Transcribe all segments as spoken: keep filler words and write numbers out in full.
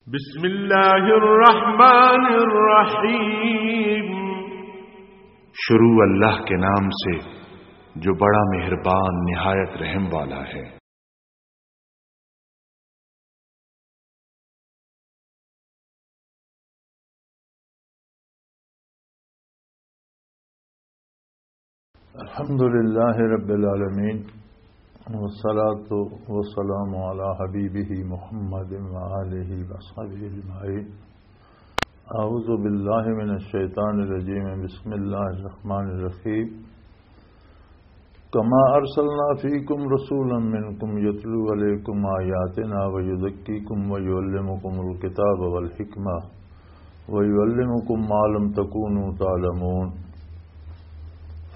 بسم اللہ الرحمن الرحیم۔ شروع اللہ کے نام سے جو بڑا مہربان نہایت رحم والا ہے۔ الحمد لله رب العالمين، والصلاة والسلام على حبيبه محمد وآله وأصحابه أجمعين. أعوذ بالله من الشيطان الرجيم. بسم الله الرحمن الرحيم. كما أرسلنا فيكم رسولا منكم يتلو عليكم آياتنا ويزكيكم ويعلمكم الكتاب والحكمة ويعلمكم ما لم تكونوا تعلمون.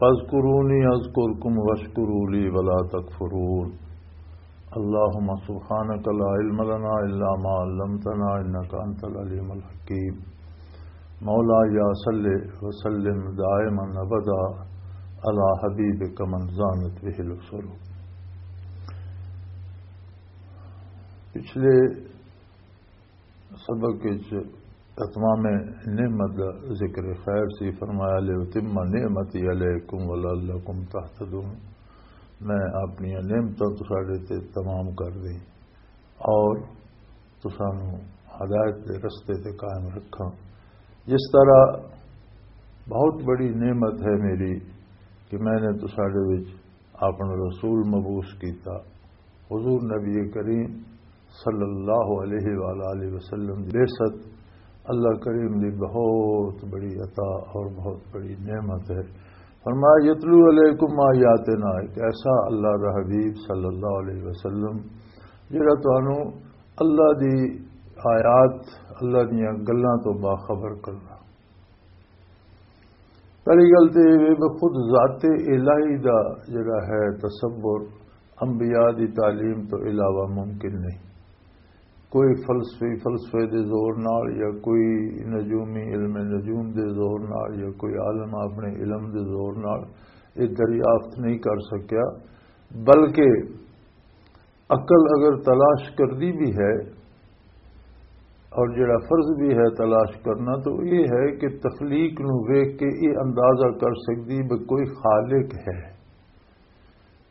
فاذكروني أذكركم واشكروا لي ولا تكفرون. اللهم سبحانك لا علم لنا إلا ما علمتنا إنك أنت العليم الحكيم. مولاي صل وسلم دائما أبدا على حبيبك من زانت به الأسر. پچھلے سبق وچ اتمام نعمت دا ذکر خیر سی، فرمایا، "لِأُتِمَّ نِعْمَتِي عَلَيْكُمْ وَلَعَلَّكُمْ تَهْتَدُونَ۔" میں اپنی نعمتاں تساڈے تے تمام کر دیں اور تسانوں ہدایت دے رستے تے قائم رکھاں۔ جس طرح بہت بڑی نعمت ہے میری کہ میں نے تساڈے وچ اپنا رسول مبعوث کیتا۔ حضور نبی کریم صلی اللہ علیہ وآلہ وسلم دی بعثت اللہ کریم دی بہت بڑی عطا اور بہت بڑی نعمت ہے۔ فرمایا، "یتلو علیکم آیاتنا"، ایک ایسا اللہ دا حبیب صلی اللہ علیہ وسلم جڑا تانوں اللہ دی آیات، اللہ دیاں گلاں تو باخبر کرنا۔ پہلی گل تے یہ وے کہ خود ذات الہی دا جڑا ہے تصور، انبیاء دی تعلیم تو علاوہ ممکن نہیں۔ کوئی فلسفی، فلسفے دے زور نال یا کوئی نجومی، علم نجوم دے زور نال یا کوئی عالم اپنے علم دے زور نال یہ دریافت نہیں کر سکیا، بلکہ عقل اگر تلاش کردی بھی ہے اور جڑا فرض بھی ہے تلاش کرنا، تو یہ ہے کہ تخلیق نو ویکھ کے یہ اندازہ کر سکدی بھی کوئی خالق ہے۔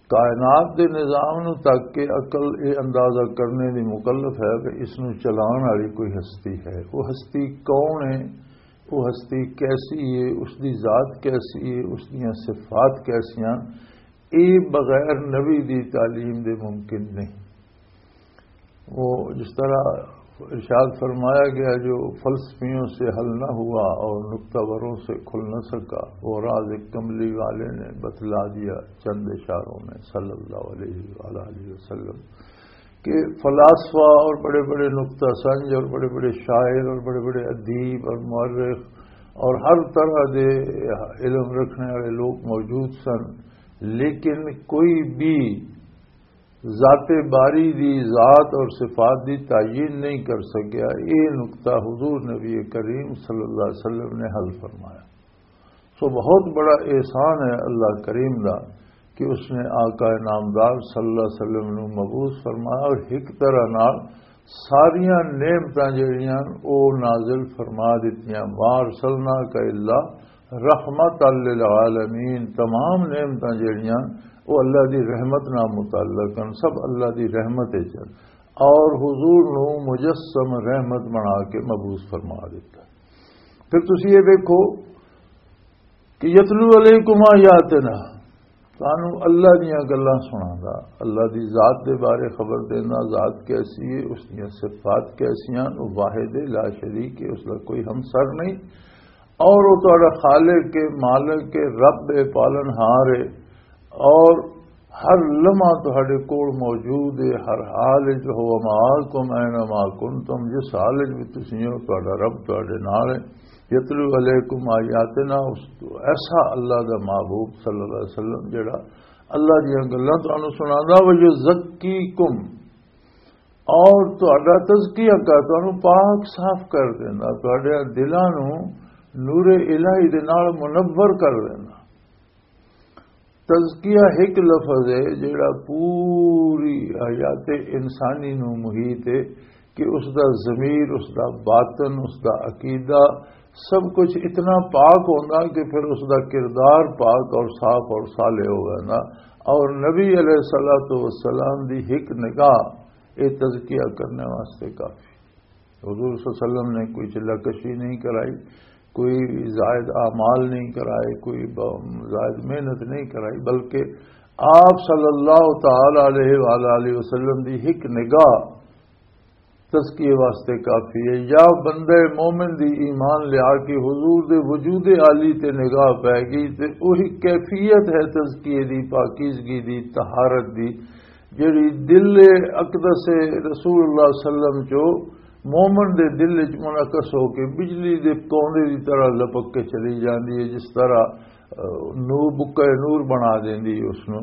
کائنات دے نظام نو تک کے عقل یہ اندازہ کرنے دی مکلف ہے کہ اس نو چلان والی کوئی ہستی ہے۔ وہ ہستی کون ہے؟ وہ ہستی کیسی ہے؟ اس دی ذات کیسی ہے؟ اس دیاں صفات کیسیاں؟ یہ بغیر نبی دی تعلیم دے ممکن نہیں۔ وہ جس طرح ارشاد فرمایا گیا، جو فلسفیوں سے حل نہ ہوا اور نقطہ وروں سے کھل نہ سکا، وہ راز کملی والے نے بتلا دیا چند اشاروں میں، صلی اللہ علیہ وآلہ وسلم، کہ فلاسفہ اور بڑے بڑے نقطہ سنج اور بڑے بڑے شاعر اور بڑے بڑے ادیب اور مورخ اور ہر طرح دے علم رکھنے والے لوگ موجود سن، لیکن کوئی بھی ذات باری دی ذات اور صفات دی تعین نہیں کر سکیا۔ یہ نقطہ حضور نبی کریم صلی اللہ علیہ وسلم نے حل فرمایا۔ سو بہت بڑا احسان ہے اللہ کریم دا کہ اس نے آقا نامدار صلی اللہ علیہ وسلم نو مبعوث فرمایا اور ایک طرح نال ساریاں نعمتاں جڑیاں او نازل فرما دتیاں۔ "ما ارسلناک الا رحمتا للعالمین"، تمام نعمتاں جڑیاں او اللہ دی رحمت نال متعلق ہیں، سب اللہ دی رحمت وچ ہیں۔ اور حضور نو مجسم رحمت بنا کے مبعوث فرما دیتا۔ پھر تسی یہ دیکھو کہ یتلو علیکم آیاتنا، تانوں اللہ دیاں گلاں سناندا، اللہ دی ذات دے بارے خبر دیندا، ذات کیسی ہے، اس دیاں صفات کیسیاں، وہ واحد لا شریک ہے، اس دا کوئی ہمسر نہیں، اور وہ تہاڈا خالق ہے، مالک ہے، رب ہے، پالن ہار ہے، اور ہر لمحہ تہاڈے کول موجود ہے، ہر حال وچ، "هو معکم أين ما كنتم"، جس حال وچ بھی تسی ہو، تہاڈا رب تہاڈے نال ہے۔ یتلو علیکم آیاتنا، اس تو ایسا اللہ دا محبوب صلی اللہ علیہ وسلم جڑا اللہ دیاں گلاں تانوں سناندا، "ویزکیکم"، اور تہاڈا تزکیہ کر، تانوں پاک صاف کر دیندا، تہاڈے دلاں نوں نور الہی دے نال منور کر دیندا۔ تزکیہ ایک لفظ ہے جڑا پوری حیات انسانی نو محیط ہے، کہ اس دا ضمیر، اس دا باطن، اس دا عقیدہ، سب کچھ اتنا پاک ہوندا کہ پھر اس دا کردار پاک اور صاف اور صالح ہو ویندا۔ اور نبی علیہ الصلوۃ والسلام دی ایک نگاہ اے تزکیہ کرنے واسطے کافی۔ حضور صلی اللہ علیہ وسلم نے کوئی چلہ کشی نہیں کرائی، کوئی زائد اعمال نہیں کرائے، کوئی ب-، زائد محنت نہیں کرائی، بلکہ آپ صلی اللہ تعالی علیہ وآلہ وسلم دی ایک نگاہ تزکیے واسطے کافی ہے۔ یا بندہ مومن دی ایمان لیا کے حضور دے وجود عالی تے نگاہ پے گئی، تے وہی کیفیت ہے تزکیے دی، پاکیزگی دی، طہارت دی، جڑی دل اقدس رسول اللہ صلی اللہ علیہ وسلم چو مومن دے دل وچ منعکس ہو کے بجلی دے کونے دی طرح لپک کے چلی جاندی ہے، جس طرح، آ، نور، بکے نور بنا دیندی ہے اس نو۔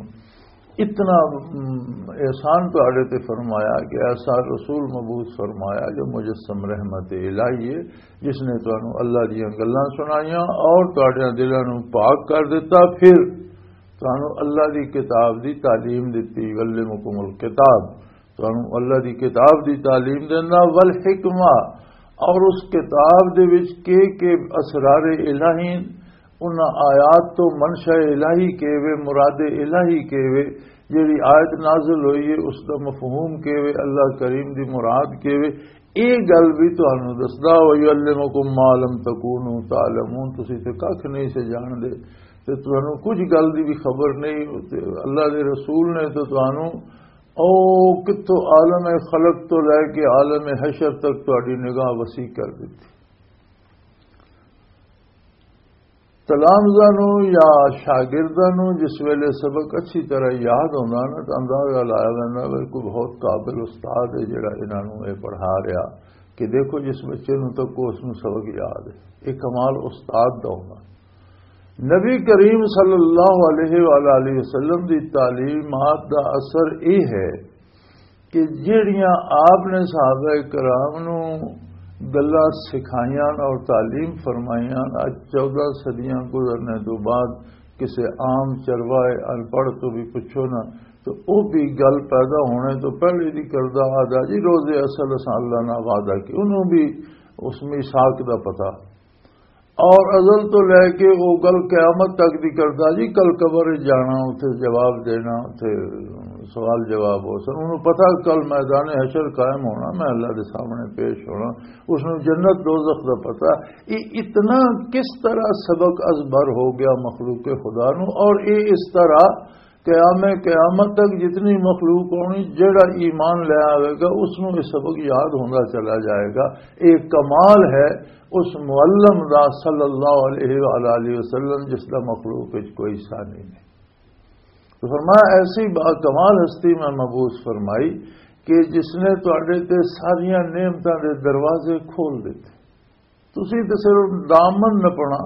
اتنا، ام، احسان تہاڈے تے فرمایا کہ ایسا رسول مبعوث فرمایا جو مجسم رحمت الہی ہے، جس نے تانوں اللہ دیاں گلاں سنائیاں اور تہاڈیاں دلاں نوں پاک کر دتا، پھر تانوں اللہ دی کتاب دی تعلیم دتی، یعلمکم الکتاب، تانوں اللہ دی کتاب دی تعلیم دیندا، والحکمہ، اور اس کتاب دے وچ کے کے اسرار الہی، انہاں آیات تو منشا الہی کے وے، مراد الہی کے وے، جڑی آیت نازل ہوئی ہے، اس دا مفہوم کے وے، اللہ کریم دی مراد کے وے، اے گل بھی تانوں دسدا، وَيُعَلِّمُكُم مَّا لَمْ تَكُونُوا تَعْلَمُونَ، تسی تے ککھ نہیں سے جان دے، تے تانوں کچھ گل دی بھی خبر نہیں، تے اللہ دے رسول نے تے تانوں او کتھوں عالم خلق تو لے کے عالم حشر تک تہاڈی نگاہ وسیع کر دتی۔ تلامذاں نوں یا شاگرداں نوں جس ویلے سبق اچھی طرح یاد ہوندا نا، تاں اندازہ لایا ویندا وے کوئی بہت قابل استاد ہے جڑا انہاں نوں اے پڑھا رہیا۔ کہ دیکھو، جس بچے نوں تکو، اس نوں سبق یاد ہے۔ اے کمال استاد دا ہوندا۔ نبی کریم صلی اللہ علیہ وآلہ وسلم دی تعلیمات دا اثر اے ہے کہ جہڑیاں آپ نے صحابہ کرام نوں گلاں سکھائیاں اور تعلیم فرمائیاں، اج چودہ صدیاں گزرنے تو بعد کسے عام چروائے ان پڑھ تو بھی پوچھو نا، تو او بھی گل پیدا ہونے تو پہلے دی کردہ آ جا جی، روز اصل اساں اللہ نال وعدہ کی، انہوں بھی اس میثاق دا پتہ۔ اور ازل تو لے کے وہ گل قیامت تک دی کردا جی، کل قبر وچ جانا، اتھے جواب دینا، اتھے سوال جواب ہو سن۔ انہوں پتہ کل میدان حشر قائم ہونا، میں اللہ دے سامنے پیش ہونا، اس نوں جنت دوزخ دا پتہ۔ یہ اتنا کس طرح سبق ازبر ہو گیا مخلوق خدا نوں، اور یہ اس طرح قیام قیامت تک جتنی مخلوق ہونی، جڑا ایمان لے آوے گا، اس نوں یہ سبق یاد ہوندا چلا جائے گا۔ ایک کمال ہے اس معلم دا صلی اللہ علیہ وآلہ وسلم، جس دا مخلوق وچ کوئی ثانی نہیں۔ تو فرمایا، ایسی با کمال ہستی میں مبعوث فرمائی کہ جس نے تواڈے تے ساریاں نعمتاں دے دروازے کھول دیتے۔ تسی تے صرف دامن نپنا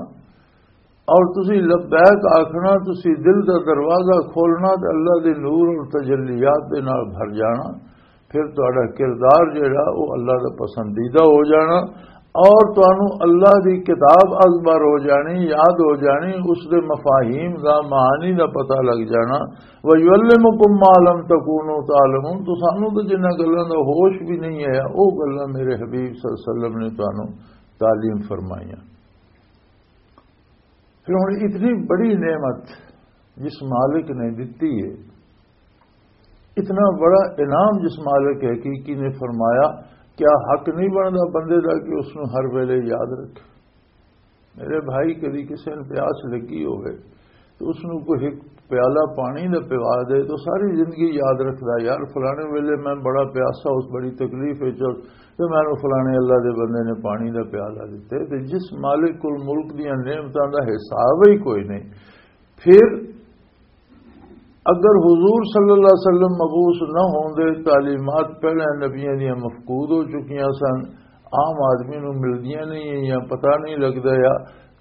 اور تسی لبیک آکھنا، تسی دل دا دروازہ کھولنا تے اللہ دے نور اور تجلیات دے نال بھر جانا۔ پھر تہاڈا کردار جڑا، او اللہ دا پسندیدہ ہو جانا، اور تانوں اللہ دی کتاب ازبر ہو جانی، یاد ہو جانی، اس دے مفاہیم دا، معانی دا پتہ لگ جانا۔ وَيُعَلِّمُكُم مَّا لَمْ تَكُونُوا تَعْلَمُونَ، تو سانوں تو جنہاں گلاں دا ہوش بھی نہیں آیا، او گلاں میرے حبیب صلی اللہ علیہ وسلم نے تانوں تعلیم فرمائیاں۔ پھر ہن اتنی بڑی نعمت جس مالک نے دتی ہے، اتنا بڑا انعام جس مالک حقیقی نے فرمایا، کیا حق نہیں بندا بندے دا کہ اس نوں ہر ویلے یاد رکھے؟ میرے بھائی، کدی کسے نوں پیاس لگی ہوئے تو اس نوں کوئی ایک پیالہ پانی دا پوا دے تو ساری زندگی یاد رکھدا، یار، فلانے ویلے میں بڑا پیاسا، اس بڑی تکلیف وچ، تے مینوں فلانے اللہ دے بندے نے پانی دا پیالہ دتے۔ تے جس مالک کول ملک دیاں نعمتاں دا حساب ہی کوئی نہیں، پھر اگر حضور صلی اللہ علیہ وسلم مبعوث نہ ہوندے، تعلیمات پہلے نبیاں دیاں مفقود ہو چکیاں سن، عام آدمی نوں ملدیاں نہیں یا پتہ نہیں لگدا، یا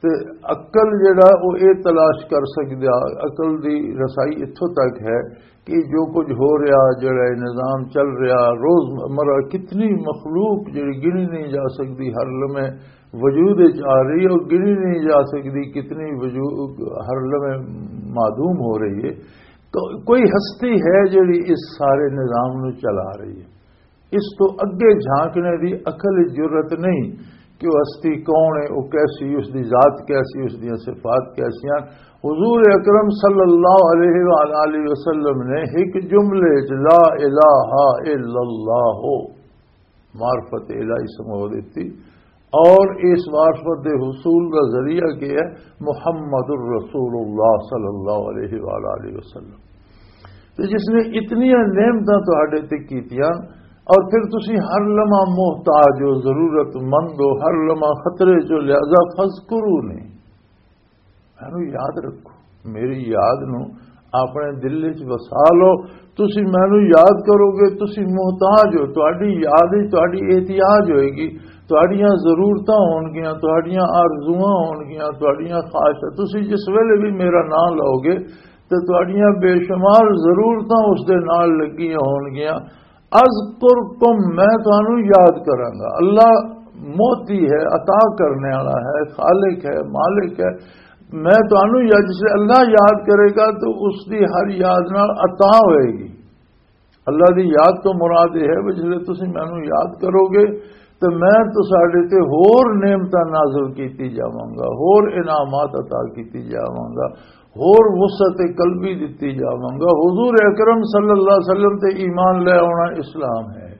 تے عقل جڑا، او اے تلاش کر سکدا، عقل دی رسائی اتھوں تک ہے کہ جو کچھ ہو رہا، جڑا اے نظام چل رہا، روز مرہ کتنی مخلوق جڑی گنی نہیں جا سکدی، ہر لمحے وجود وچ آ رہی ہے، اور گنی نہیں جا سکدی کتنی وجود ہر لمحے معدوم ہو رہی ہے۔ تو کوئی ہستی ہے جڑی اس سارے نظام نو چلا رہی ہے۔ اس تو اگے جھانکنے دی عقل وچ جرأت نہیں کہ وہ ہستی کون ہے، وہ کیسی، اس دی ذات کیسی، اس دیاں صفات کیسیاں۔ حضور اکرم صلی اللہ علیہ وآلہ وسلم نے ایک جملے وچ لا الہ الا اللہ ہو معرفت الہی سمجھا دیتی، اور اس معرفت دے حصول کا ذریعہ کیا ہے؟ محمد الرسول اللہ صلی اللہ علیہ وآلہ وسلم۔ تو جس نے اتنی نعمتاں تہاڈے تے کیتیاں، اور پھر تسی ہر لمحہ محتاج ہو، ضرورت مند ہو، ہر لمحہ خطرے چو، لہذا فذکرونی، مینوں یاد رکھو، میری یاد نو اپنے دل وچ وسا لو۔ تسی مینوں یاد کرو گے، تسی محتاج ہو، تہاڈی یاد ہی تہاڈی احتیاج ہوئے گی، تہاڈیاں ضرورتاں ہون گیاں، تہاڈیاں آرزواں ہون گیاں، تہاڈیاں خواہشاں۔ تسی جس ویلے بھی میرا نام لو گے تے تہاڈیاں بے شمار ضرورتاں اس دے نال لگیاں ہون گیاں۔ اذکرکم، میں تانوں یاد کراں گا۔ اللہ موتی ہے، عطا کرنے والا ہے، خالق ہے، مالک ہے۔ میں تانوں یاد، جس لے اللہ یاد کرے گا تو اس دی ہر یاد نال عطا ہوئے گی۔ اللہ دی یاد تو مراد یہ ہے، جس لے تسی مینوں یاد کرو گے تو میں تساڈے تے ہور نعمتاں نازل کیتی جاواں گا، ہور انعامات عطا کیتی جاواں گا، ہور وسعت قلبی دتی جاواں گا۔ حضور اکرم صلی اللہ علیہ وسلم تے ایمان لے آنا اسلام ہے،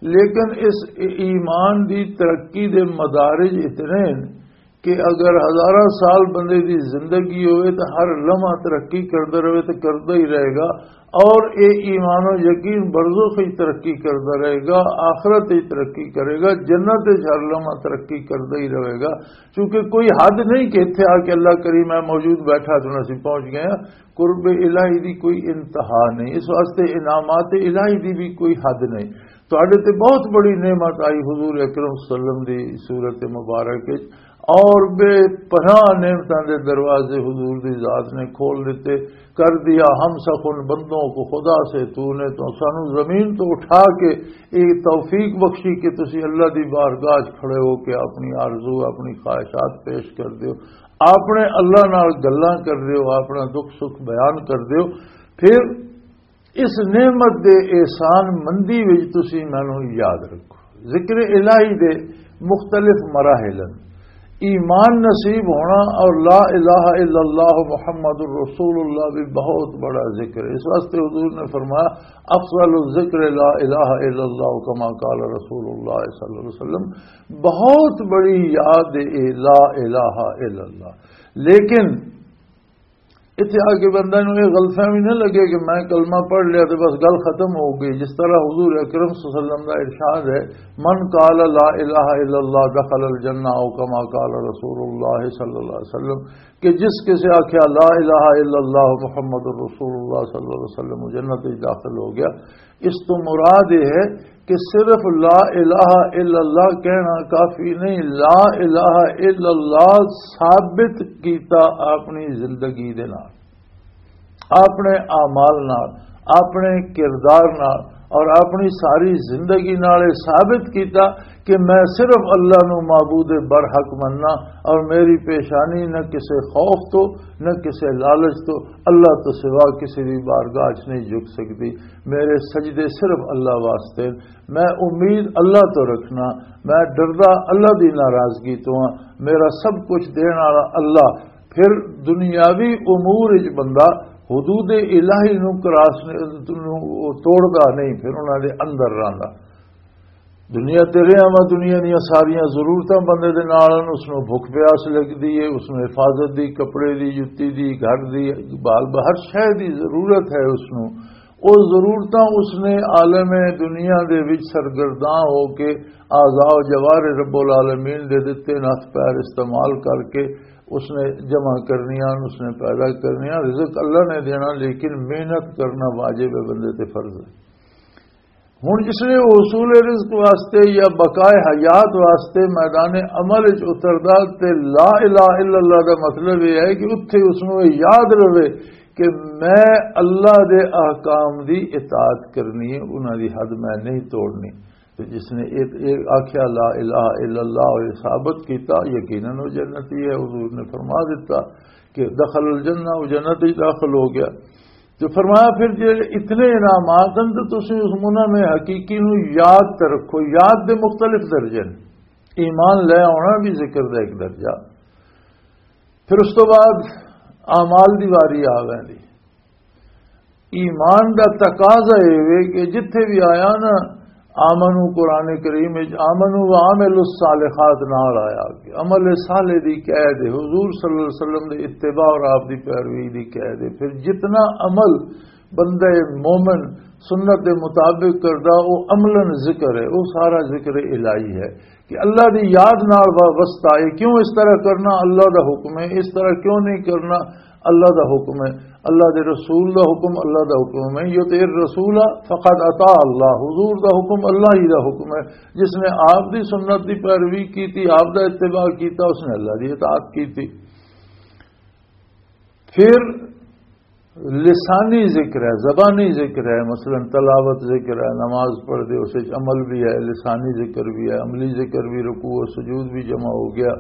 لیکن اس ایمان دی ترقی دے مدارج اتنے ہیں کہ اگر ہزاراں سال بندے دی زندگی ہوئے تو ہر لمحہ ترقی کردا رہے تو کردا ہی رہے گا۔ اور اے ایمان و یقین برزخ ہی ترقی کردا رہے گا، آخرت ہی ترقی کرے گا، جنت ہی ہر لمحہ ترقی کردا ہی رہے گا۔ کیونکہ کوئی حد نہیں کہ اتھے آ کے اللہ کریم ہے موجود بیٹھا تو اسی پہنچ گئے ہیں۔ قرب الہی دی کوئی انتہا نہیں، اس واسطے انعامات الہی دی بھی کوئی حد نہیں۔ تہاڈے تے بہت بڑی نعمت آئی حضور اکرم صلی اللہ علیہ وسلم دی صورت مبارک وچ، اور بے پناہ نعمتاں دے دروازے حضور دی ذات نے کھول دیتے، کر دیا ہم سخن بندوں کو خدا سے تو نے، تو سانو زمین تو اٹھا کے ایک توفیق بخشی کہ تسی اللہ دی بارگاہ وچ کھڑے ہو کے اپنی آرزو، اپنی خواہشات پیش کر دیو، اپنے اللہ نال گلاں کر دیو، اپنا دکھ سکھ بیان کر دیو۔ پھر اس نعمت دے احسان مندی وچ تسی مینوں یاد رکھو۔ ذکر الہی دے مختلف مراحل ہیں۔ ایمان نصیب ہونا اور لا الہ الا اللہ محمد رسول اللہ بھی بہت بڑا ذکر ہے۔ اس واسطے حضور نے فرمایا، "افضل الذکر لا الہ الا اللہ"، کما قال رسول اللہ صلی اللہ علیہ وسلم۔ بہت بڑی یاد ہے لا الہ الا اللہ۔ لیکن اتھے آ کے بندے نوں یہ غلط فہمی نہ لگے کہ میں کلمہ پڑھ لیا تے بس گل ختم ہو گئی۔ جس طرح حضور اکرم صلی اللہ علیہ وسلم کا ارشاد ہے، "من قال لا الہ الا اللہ دخل الجنہ"، او کما قال رسول اللہ صلی اللہ علیہ وسلم، کہ جس کسے آکھیا، "لا الہ الا اللہ محمد رسول اللہ صلی اللہ علیہ وسلم"، وہ جنت وچ داخل ہو گیا۔ اس تو مراد یہ ہے کہ صرف لا الہ الا اللہ کہنا کافی نہیں، لا الہ الا اللہ ثابت کیتا اپنی زندگی دے نال، اپنے اعمال نال، اپنے کردار نال اور اپنی ساری زندگی نال یہ ثابت کیتا کہ میں صرف اللہ نو معبود برحق مننا اور میری پیشانی نہ کسے خوف تو، نہ کسے لالچ تو، اللہ تو سوا کسی بھی بارگاہ چ نہیں جھک سکتی۔ میرے سجدے صرف اللہ واسطے، میں امید اللہ تو رکھنا، میں ڈردا اللہ دی ناراضگی تو ہاں، میرا سب کچھ دین والا اللہ۔ پھر دنیاوی امور وچ بندہ حدود الہی نو کراس نے، نو توڑدا نہیں، پھر انہاں دے اندر رہندا۔ دنیا تے رہیا وا، دنیا دیاں ساریاں ضرورتاں بندے دے نال ہن، اس نوں بھکھ پیاس لگدی ہے، اس نوں حفاظت دی، کپڑے دی، جُتی دی، گھر دی، بال ب-، ہر شے دی ضرورت ہے اس نوں۔ او ضرورتاں اس نے عالم دنیا دے وچ سرگرداں ہو کے اعضاء و جوارح رب العالمین دے دتے نہ، ہتھ پیر استعمال کر کے اس نے جمع کرنیاں، اس نے پیدا کرنیاں۔ رزق اللہ نے دینا، لیکن محنت کرنا واجب ہے، بندے تے فرض ہے۔ ہن جس نے حصول رزق واسطے یا بقائے حیات واسطے میدان عمل وچ اتردا، تے لا الہ الا اللہ دا مطلب یہ ہے کہ اتھے اس نوں یہ یاد رہے کہ میں اللہ دے احکام دی اطاعت کرنی ہے، انہاں دی حد میں نہیں توڑنی۔ تے جس نے یہ، یہ آکھیا لا الہ الا اللہ، اور یہ ثابت کیتا، یقیناً وہ جنتی ہے۔ حضور نے فرما دیتا کہ دخل الجنہ، وہ جنت وچ داخل ہو گیا۔ تو فرمایا، پھر جے اتنے انعامات ہیں تو تسی اس منعم حقیقی نو یاد تے رکھو۔ یاد دے مختلف درجے نے۔ ایمان لے آنا بھی ذکر دا ایک درجہ۔ پھر اس تو بعد اعمال دی واری آ ویندی۔ ایمان دا تقاضا اے وے کہ جتھے بھی آیا نا، آمنو قرآن کریم وچ آمنو و عامل الصالحات نال آیا کہ عمل صالح دی قید ہے، حضور صلی اللہ علیہ وسلم دے اتباع اور آپ دی پیروی دی قید ہے۔ پھر جتنا عمل بندہ مومن سنت دے مطابق کردا، او عملاً ذکر ہے، او سارا ذکر الہی ہے۔ کہ اللہ دی یاد نال وابستہ ہے۔ کیوں اس طرح کرنا؟ اللہ دا حکم ہے۔ اس طرح کیوں نہیں کرنا؟ اللہ دا حکم ہے۔ اللہ دے رسول دا حکم، اللہ دا حکم ہے۔ یطع الرسول فقد اطاع اللہ، حضور دا حکم اللہ ہی دا حکم ہے۔ جس نے آپ دی سنت دی پیروی کیتی، آپ دا اتباع کیتا، اس نے اللہ دی اطاعت کیتی۔ پھر لسانی ذکر ہے، زبانی ذکر ہے، مثلاً تلاوت ذکر ہے، نماز پڑھ دے، اس وچ عمل بھی ہے، لسانی ذکر بھی ہے، عملی ذکر بھی، رکوع و سجود بھی جمع ہو گیا،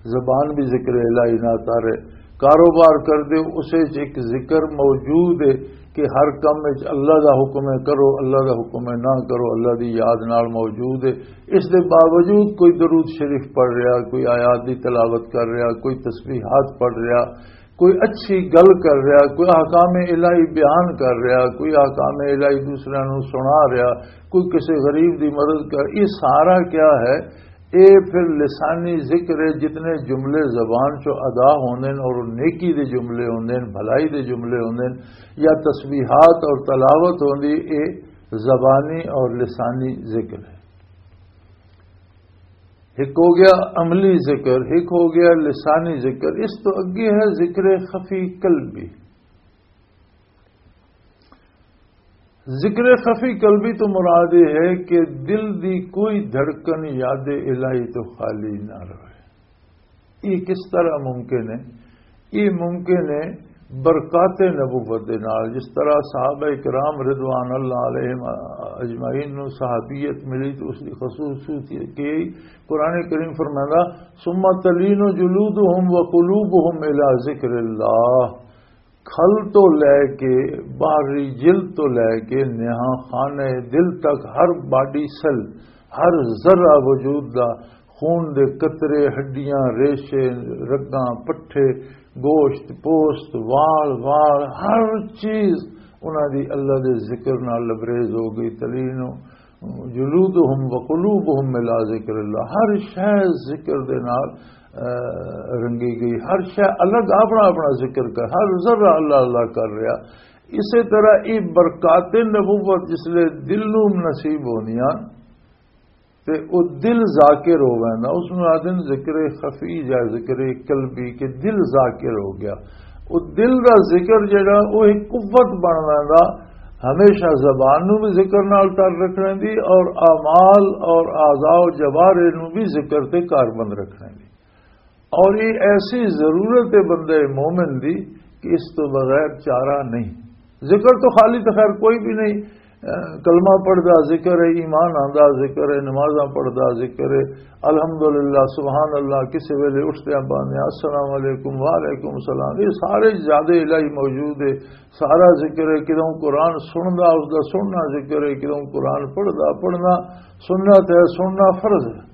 زبان بھی ذکر الہی نہ تارے۔ کاروبار کر دے، اس وچ ایک ذکر موجود ہے کہ ہر کم وچ اللہ دا حکم ہے، کرو، اللہ دا حکم ہے، نہ کرو، اللہ دی یاد نال موجود ہے۔ اس دے باوجود کوئی درود شریف پڑھ رہا، کوئی آیات دی تلاوت کر رہا، کوئی تسبیحات پڑھ رہا، کوئی اچھی گل کر رہا، کوئی احکام الہی بیان کر رہا، کوئی احکام الہی دوسرے نوں سنا رہا، کوئی کسی غریب دی مدد کر، یہ سارا کیا ہے؟ یہ پھر لسانی ذکر ہے۔ جتنے جملے زبان چوں ادا ہوندے نے اور نیکی دے جملے ہوندے نے، بھلائی دے جملے ہوندے نے، یا تسبیحات اور تلاوت ہوندی، یہ زبانی اور لسانی ذکر ہے۔ ایک ہو گیا عملی ذکر، ایک ہو گیا لسانی ذکر۔ اس تو اگے ہے ذکر خفی قلبی۔ ذکر خفی قلبی تو مراد یہ ہے کہ دل دی کوئی دھڑکن یاد الہی تو خالی نہ رہے۔ یہ کس طرح ممکن ہے؟ یہ ممکن ہے برکات نبوت دے نال۔ جس طرح صحابہ کرام رضوان اللہ علیہم اجمعین نو صحابیت ملی تو اس کی خصوصیت یہ کہ قرآن کریم فرمائندا، "ثم تلین جلودہم وقلوبہم الی ذکر اللہ۔" کھل تو لے کے، باہری جلد تو لے کے نہاں خانہ دل تک ہر باڈی سیل، ہر ذرہ وجود دا، خون دے قطرے، ہڈیاں، ریشے، رگاں، پٹھے، گوشت، پوست، وال، وال، ہر چیز انہاں دی اللہ دے ذکر نال لبریز ہو گئی۔ تلین جلودہم وقلوبہم الی ذکر اللہ، ہر شے ذکر دے نال، آ، رنگی گئی، ہر شے الگ اپنا اپنا ذکر کر، ہر ذرہ اللہ اللہ کر رہا۔ اسی طرح یہ برکات نبوت جس لے دل نوں نصیب ہوندیاں، تے او دل ذاکر ہو ویندا، اس نوں آدھن ذکر خفی یا ذکر قلبی، کہ دل ذاکر ہو گیا۔ او دل دا ذکر جڑا، او ایک قوت بن ویندا، ہمیشہ زبان نوں بھی ذکر نال تر رکھنے دی اور اعمال اور اعضاء و جوارح نوں بھی ذکر تے کاربند رکھنے دی۔ اور یہ ایسی ضرورت ہے بندے مومن دی کہ اس تو بغیر چارہ نہیں۔ ذکر تو خالی تو خیر کوئی بھی نہیں۔ اے، کلمہ پڑھدا ذکر ہے، ایمان آندا ذکر ہے، نمازاں پڑھدا ذکر ہے، الحمدللہ، سبحان اللہ، کسی ویلے اٹھدیاں باندیاں السلام علیکم، وعلیکم السلام، یہ سارے زیادہ الہی موجود ہے۔ سارا ذکر ہے، کدوں قرآن سندا، اس دا سننا ذکر ہے، کدوں قرآن پڑھدا، پڑھنا سنت ہے، سننا فرض ہے۔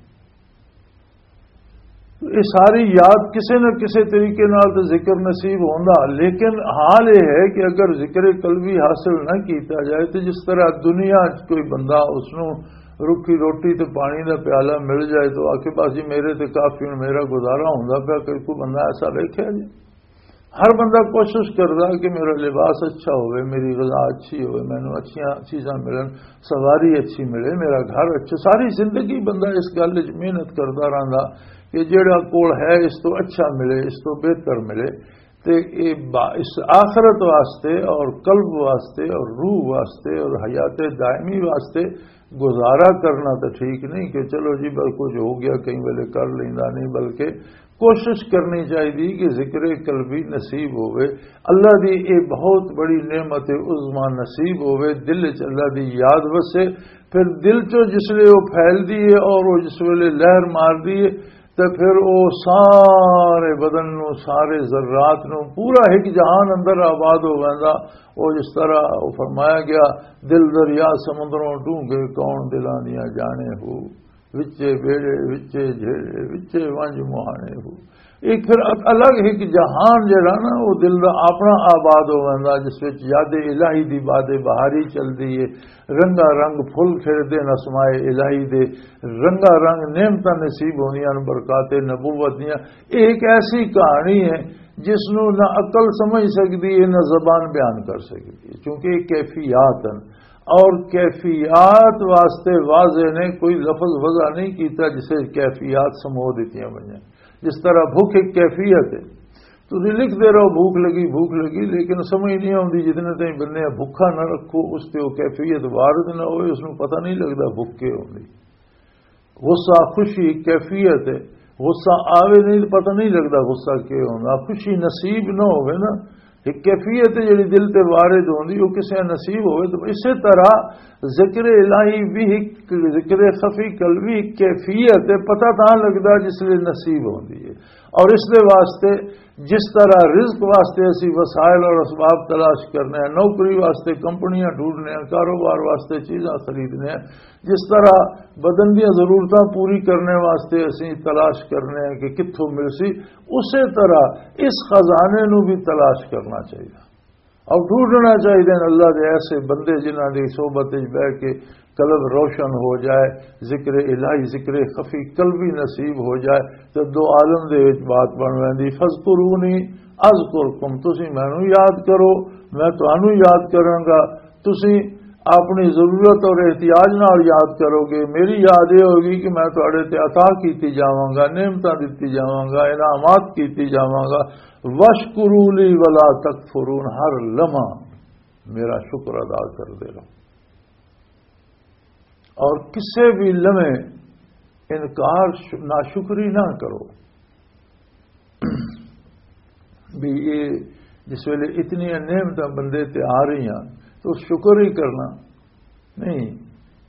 یہ ساری یاد کسی نہ کسی طریقے نال تے ذکر نصیب ہوندا، لیکن حال یہ ہے کہ اگر ذکر قلبی حاصل نہ کیتا جائے تو جس طرح دنیا چ کوئی بندہ اس نوں روکھی روٹی تے پانی دا پیالہ مل جائے تو آکھے، "بس جی، میرے تے کافی، ہن میرا گزارا ہوندا پیا۔" کوئی، کوئی بندہ ایسا ویکھیا جی؟ ہر بندہ کوشش کردا کہ میرا لباس اچھا ہوئے، میری غذا اچھی ہوئے، مینوں اچھیاں چیزاں ملن، سواری اچھی ملے، میرا گھر اچھا۔ ساری زندگی بندہ اس گل وچ محنت کردا رہندا کہ جیڑا کول ہے اس تو اچھا ملے، اس تو بہتر ملے۔ تے اے با-، اس آخرت واسطے اور قلب واسطے اور روح واسطے اور حیات دائمی واسطے گزارا کرنا تو ٹھیک نہیں کہ چلو جی بس کچھ ہو گیا، کئی ویلے کر لیندا نہیں، بلکہ کوشش کرنی چاہیے کہ ذکر قلبی نصیب ہوئے، اللہ دی اے بہت بڑی نعمت عظمیٰ نصیب ہوئے، دل وچ اللہ دی یاد وسے۔ پھر دل چوں جس لے وہ پھیلدی ہے اور وہ جس ویلے لہر ماردی ہے، تے پھر او سارے بدن نو، سارے ذرات نو، پورا ایک جہان اندر آباد ہو ویندا۔ او جس طرح او فرمایا گیا، دل دریا سمندروں ڈونگے، کون دلاں دیاں جانے ہو، وچے بیڑے، وچے جھیڑے، وچے ونج مہانے ہو۔ ایک پھر ال-، الگ ایک جہان جڑا نا، او دل دا اپنا آباد ہو ویندا، جس وچ یاد الہی دی باد بہاری چلدی ہے، رنگا رنگ پھل کھڑدے نے اسماء الہی دے، رنگا رنگ نعمتاں نصیب ہوندیاں نے، برکات نبوت دیاں۔ یہ ایک ایسی کہانی ہے جس نو نہ عقل سمجھ سکدی ہے، نہ زبان بیان کر سکدی ہے، کیونکہ یہ کیفیات ہیں۔ اور کیفیات واسطے واضح نے کوئی لفظ وضع نہیں کیتا، جسے کیفیات سمو دیتیاں گئیاں۔ جس طرح بھوک ایک کیفیت ہے، تسی لکھدے رہو، بھوک لگی، بھوک لگی، لیکن سمجھ نہیں آتی۔ جتنے تائیں بندے بھوکا نہ رکھو، اس تے وہ کیفیت وارد نہ ہوئے، اس نوں پتہ نہیں لگدا بھوک کے ہوندی۔ غصہ خوشی کیفیت ہے، غصہ آوے نہیں تو پتہ نہیں لگدا غصہ کے ہوندا۔ خوشی نصیب نہ ہوئے نا، ایک کیفیت ہے جڑی دل تے وارد ہوندی، وہ کسے نصیب ہوئے۔ تو اسی طرح ذکر الہی بھی ایک، ذکر خفی قلبی ایک کیفیت ہے، پتہ تاں لگدا جس لئے نصیب ہوندی ہے۔ اور اس دے واسطے جس طرح رزق واسطے اسی وسائل اور اسباب تلاش کرنے ہیں، نوکری واسطے کمپنیاں ڈھونڈنے ہیں، کاروبار واسطے چیزاں خریدنے ہیں، جس طرح بدن دیاں ضرورتاں پوری کرنے واسطے اسی تلاش کرنے ہیں کہ کتھوں مل سی، اسی طرح اس خزانے نو بھی تلاش کرنا چاہیے اور ڈھونڈنا چاہیے۔ اللہ دے ایسے بندے جنہاں دی صحبت وچ بہ کے قلب روشن ہو جائے، ذکر الہی، ذکر خفی قلبی نصیب ہو جائے، تے دو عالم دے وچ بات بن ویندی، "فذکرونی اذکرکم"، تسی مینوں یاد کرو، میں تانوں یاد کراں گا۔ تسی اپنی ضرورت اور احتیاج نال یاد کرو گے، میری یاد یہ ہوگی کہ میں تہاڈے تے عطا کیتی جاواں گا، نعمتاں دتی جاواں گا، انعامات کیتی جاواں گا۔ "واشکروا لی ولا تکفرون"، ہر لمحہ میرا شکر ادا کردے رہو۔ اور کسے بھی لمحے انکار، ش-، ناشکری نہ کرو۔ بھی یہ جس ویلے اتنی نعمتاں بندے تے آ رہی ہیں تو شکر ہی کرنا نہیں۔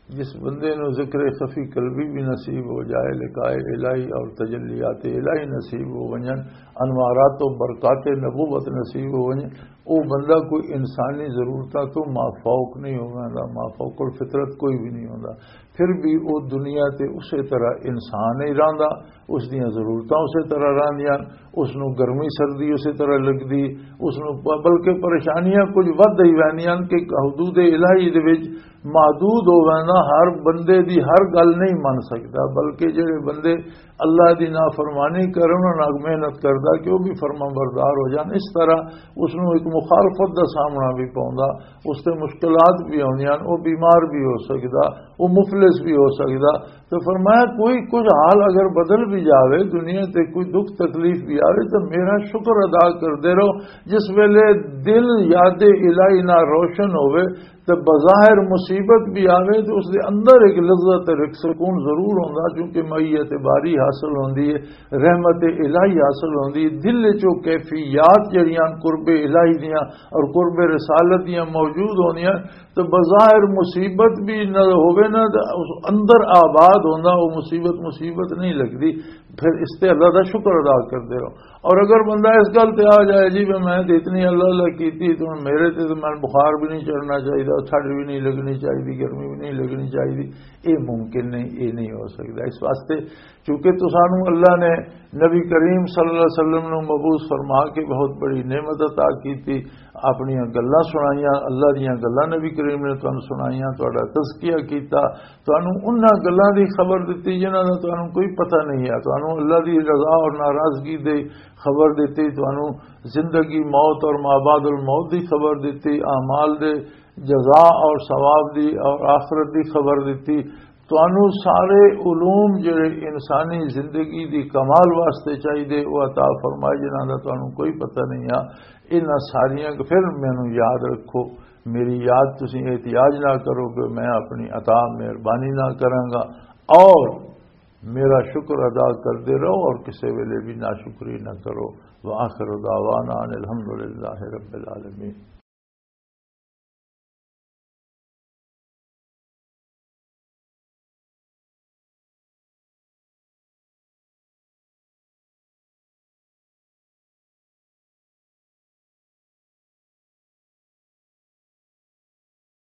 جس بندے نو ذکر خفی قلبی بھی نصیب ہو جائے، لقاء الہی اور تجلیات الہی نصیب ہو ونجن، انوارات و برکات نبوت نصیب ہو ونجن، او بندہ کوئی انسانی ضرورتاں تو مافوق نہیں ہو ویندا، مافوق الفطرت کوئی بھی نہیں ہوندا۔ پھر بھی او دنیا تے اسی طرح انسان ہی رہندا، اس دیاں ضرورتاں اسی طرح رہندیاں، اس نو گرمی سردی اسی طرح لگدی، اس نو ب-، بلکہ پریشانیاں کچھ ودھ ہی ویندیاں کہ حدود الہی دے وچ محدود ہو وینا، ہر بندے دی ہر گل نہیں من سکدا، بلکہ جڑے بندے اللہ دی نافرمانی کرن، انہاں نال محنت کردا کہ وہ بھی فرما بردار ہو جان۔ اس طرح اس نوں ایک مخالفت دا سامنا بھی پوندا، اس تے مشکلات بھی آوندیاں، وہ بیمار بھی ہو سکدا، وہ مفلس بھی ہو سکدا۔ تو فرمایا، کوئی کچھ حال اگر بدل بھی جاوے، دنیا تے کوئی دکھ تکلیف بھی آوے، تو میرا شکر ادا کردے رہو۔ جس ویلے دل یاد الہی نہ روشن ہوئے، تے بظاہر مصیبت بھی آوے تو اس دے اندر ایک لذت اور ایک سکون ضرور ہوندا، کیونکہ معیت باری حاصل ہوندی ہے، رحمت الہی حاصل ہوندی ہے۔ دل وچ او کیفیات جڑیاں قرب الہی دیاں اور قرب رسالت دیاں موجود ہوندیاں، تو بظاہر مصیبت بھی نہ ہووے نا، تو اس اندر آباد ہوندا، وہ مصیبت مصیبت نہیں لگدی۔ پھر اس تے اللہ دا شکر ادا کردے رہو۔ اور اگر بندہ اس گل تے آ جائے، "جی، میں، میں تے اتنی اللہ اللہ کیتی، تو ہن میرے تے، تے میں بخار بھی نہیں چڑھنا چاہیے، ٹھنڈ بھی نہیں لگنی چاہیے، گرمی بھی نہیں لگنی چاہیے"، یہ ممکن نہیں، یہ نہیں ہو سکتا۔ اس واسطے چونکہ تو سانو اللہ نے نبی کریم صلی اللہ علیہ وسلم نو مبعوث فرما کے بہت بڑی نعمت عطا کیتی، اپنی گلاں سنائیاں، اللہ دیاں گلاں نبی کریم نے تانوں سنائیاں، تہاڈا تزکیہ کیتا، تانوں انہاں گلاں دی خبر دتی جنہاں دا تانوں کوئی پتہ نہیں ہے، تانوں اللہ دی رضا اور ناراضگی دی خبر دتی، تانوں زندگی، موت اور مابعد الموت دی خبر دتی، اعمال دے جزا اور ثواب دی اور آخرت دی خبر دتی۔ تانوں سارے علوم جڑے انسانی زندگی دی کمال واسطے چاہیے، وہ عطا فرمائے جنہاں دا تانوں کوئی پتہ نہیں آ۔ انہاں ساریاں کو پھر مینوں یاد رکھو، میری یاد تسی احتیاج نہ کرو کہ میں اپنی عطا مہربانی نہ کراں گا، اور میرا شکر ادا کردے رہو اور کسے ویلے بھی ناشکری نہ کرو۔ وآخر دعوانا ان الحمدللہ رب العالمین۔